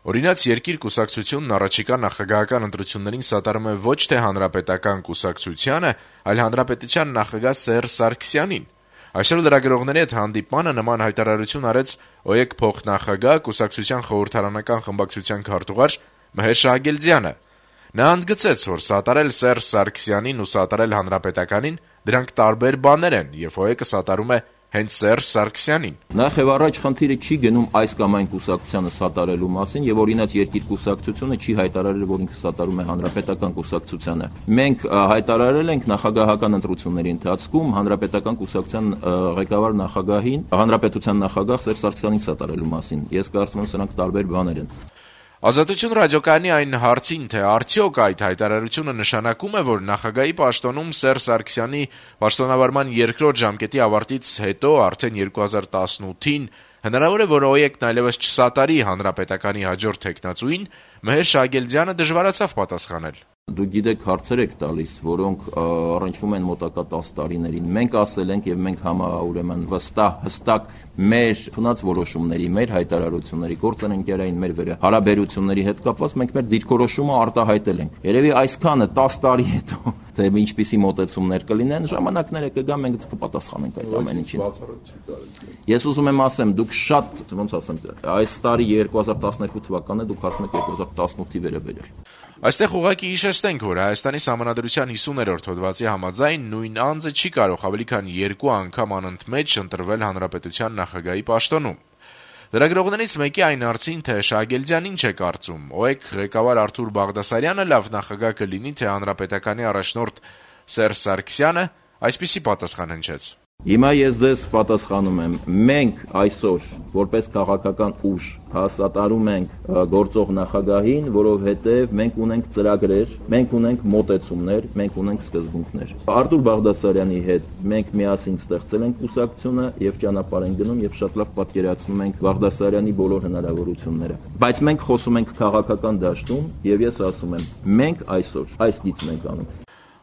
Օրինաց երկիր կուսակցությունն առաջիկա նախագահական ընտրություններին սատարում է ոչ թե հանրապետական կուսակցությանը, այլ հանրապետության նախագահ Սերժ Սարգսյանին։ Այսօր լրագրողների հետ հանդիպմանը նման հայտարարություն արեց ՕԵԿ փոխնախագահ կուսակցության խորհրդարանական խմբակցության քարտուղար Մհեր Շահագելդյանը։ Նա ընդգծեց, որ սատարել Սերժ Սարգսյանին ու սատարել հանրապետականին դրանք տարբեր բաներ են, եւ ՕԵԿ-ը սատարում է հենց Սերժ Սարգսյանին։ Նախ եւ առաջ խնդիրը չի գնում այս կամ այն կուսակցությանը սատարելու մասին, եւ օրինաց երկիր կուսակցությունը չի հայտարարել, որ ինքը սատարում է հանրապետական կուսակցությանը։ Մենք հայտարարել ենք նախագահական ընտրությունների ընթացքում հանրապետական կուսակցության ղեկավար նախագահին, հանրապետության նախագահ Սերժ Սարգսյանին սատարելու մասին։ Ես կարծում եմ, սրանք տարբեր բաներ են։ Ազատություն ռադիոկայանի այն հարցին, թե արդյոք այդ հայտարարությունը նշանակում է, որ նախագահի պաշտոնում Սերժ Սարգսյանի պաշտոնավարման երկրորդ ժամկետի ավարտից հետո արդեն 2018-ին հնարավոր է, որ ՕԵԿ-ն այլևս չսատարի հանրապետականի հաջորդ թեկնածուին, Մհեր Շահագելդյանը դժվարացավ պատասխանել։ Դուք գիտեք, հարցեր եք տալիս, որոնք առնչվում են մոտակա 10 տարիներին։ Մենք ասել ենք եւ մենք ուրեմն հստակ մեր ունած որոշումների, մեր հայտարարությունների, գործընկերային մեր հարաբերությունների հետ կապված մենք մեր դիրքորոշումը արտահայտել ենք։ Երևի այսքանը 10 տարի հետո թե ինչպիսի մոտեցումներ կլինեն, ժամանակները կգա, մենք կպատասխանենք այդ ամեն ինչին։ Ես ուզում եմ ասեմ, դուք շատ, ոնց ասեմ, այս տարի 2012 թվականն է, դուք ասում եք 2018-ի վերաբերյալ։ Այստեղ ուղղակի հիշեցնենք, որ Հայաստանի Սահմանադրության 50-րդ հոդվածի համաձայն նույն անձը չի կարող ավելի քան 2 անգամ անընդմեջ ընտրվել հանրապետության նախագահի պաշտոնում։ Լրագրողներից մեկի այն հարցին, թե Շահագելդյանն ինչ է կարծում, ՕԵԿ ղեկավար Արթուր Բաղդասարյանը լավ նախագահ կլինի, թե հանրապետականի առաջնորդ Սերժ Սարգսյանը, այսպիսի պատասխան հնչեց. Հիմա ես ձեզ պատասխանում եմ, մենք այսօր որպես քաղաքական ուժ սատարում ենք գործող նախագահին, որովհետև մենք ունենք ծրագրեր, մենք ունենք մոտեցումներ, մենք ունենք սկզբունքներ։ Արթուր Բաղդասարյանի հետ մենք միասին ստեղծել ենք կուսակցությունը եւ ճանապարհ ենք գնում եւ շատ լավ պատկերացնում ենք Բաղդասարյանի բոլոր հնարավորությունները։ Բայց մենք խոսում ենք քաղաքական դաշտում եւ ես ասում եմ, մենք այսօր այս գիծն ենք անում։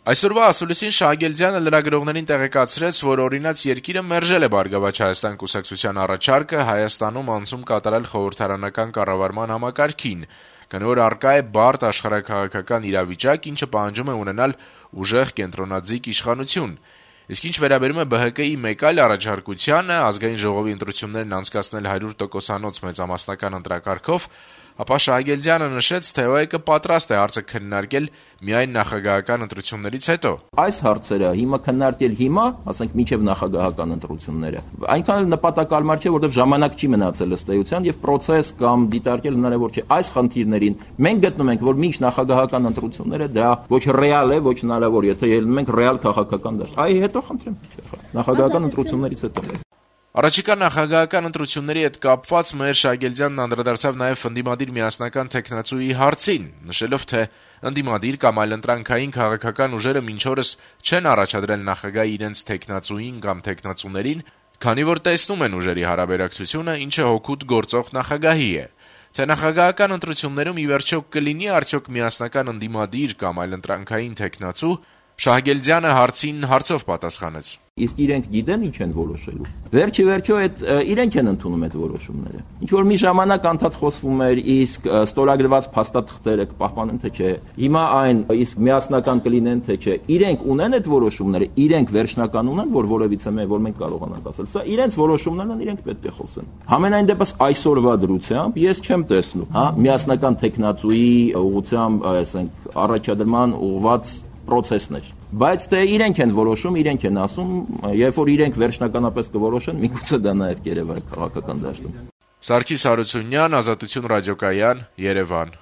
Այսօրվա ասուլիսին Շահագելդյանը լրագրողներին տեղեկացրեց, որ օրինաց երկիրը մերժել է Բարգավաճ Հայաստան կուսակցության առաջարկը Հայաստանում անցում կատարել խորհրդարանական կառավարման համակարգին, քանի որ առկա է բարդ աշխարհաքաղաքական իրավիճակ, ինչը պահանջում է ունենալ ուժեղ կենտրոնաձիգ իշխանություն։ Իսկ ինչ վերաբերում է ԲՀԿ-ի մեկ այլ առաջարկությանը ազգային ժողովի ընտրություններն անցկացնել 100%-անոց մեծամասնական ընտրակարգով, ապա Շահագելդյանը նշեց, թե ՕԵԿ-ը պատրաստ է հարցը քննարկել միայն նախագահական ընտրություններից հետո։ Այս հարցերը հիմա քննարկել ասենք մինչև նախագահական ընտրությունները, այնքան էլ նպատակարար չէ, որովհետև ժամանակ չի մնացել ըստ էության եւ process կամ դիտարկել հնարավոր չէ։ Այս խնդիրներին մենք գտնում ենք, որ մինչ նախագահական ընտրությունները դա ոչ ռեալ է, ոչ հնարավոր, եթե ելնում ենք ռեալ քաղաքական դաշտ։ Այ հետո խնդրեմ, նախագահական ընտրություններից հետո։ Առաջիկա նախագահական ընտրությունների հետ կապված Մհեր Շահագելդյանն անդրադարձավ նաև ընդդիմադիր միասնական թեկնածուի հարցին, նշելով, թե ընդդիմադիր կամ այլընտրանքային քաղաքական ուժերը մինչ օրս չեն առաջադրել նախագահի իրենց թեկնածուին կամ թեկնածուներին, քանի որ տեսնում են ուժերի հարաբերակցությունը, ինչը հօգուտ գործող նախագահի է։ Թե նախագահական ընտրություններում ի վերջո կլինի արդյոք միասնական ընդդիմադիր կամ այլընտրանքային թեկնածու, Շահագելդյանը հարցին հարցով պատասխանեց. Իսկ իրենք գիտեն ինչ են որոշելու։ Վերջիվերջո այդ իրենք են ընդունում այդ որոշումները։ Ինչ որ մի ժամանակ անդադ խոսվում էր, իսկ ստորագրված փաստաթղթերը կպահպանեն թե չէ։ Հիմա այն իսկ միասնական կլինեն թե չէ։ Իրենք ունեն այդ որոշումները, իրենք վերջնական ունեն, որ որևիցե մեր որ մենք կարողանանք ասել։ Սա իրենց որոշումներն են, իրենք պետք է խոսեն։ Համենայն դեպս այսօրվա դրությամբ ես չեմ տեսնում, միասնական տեխնացուի ուղղությամբ, ասենք, առաջադրման ուղղված process-ներ։ Բայց թե իրենք են որոշում, իրենք են ասում, երբ որ իրենք վերջնականապես կորոշեն, միգուցե դա նաև կերևա քաղաքական դաշտում։ Սարգիս Հարությունյան, Ազատություն ռադիոկայան, Երևան։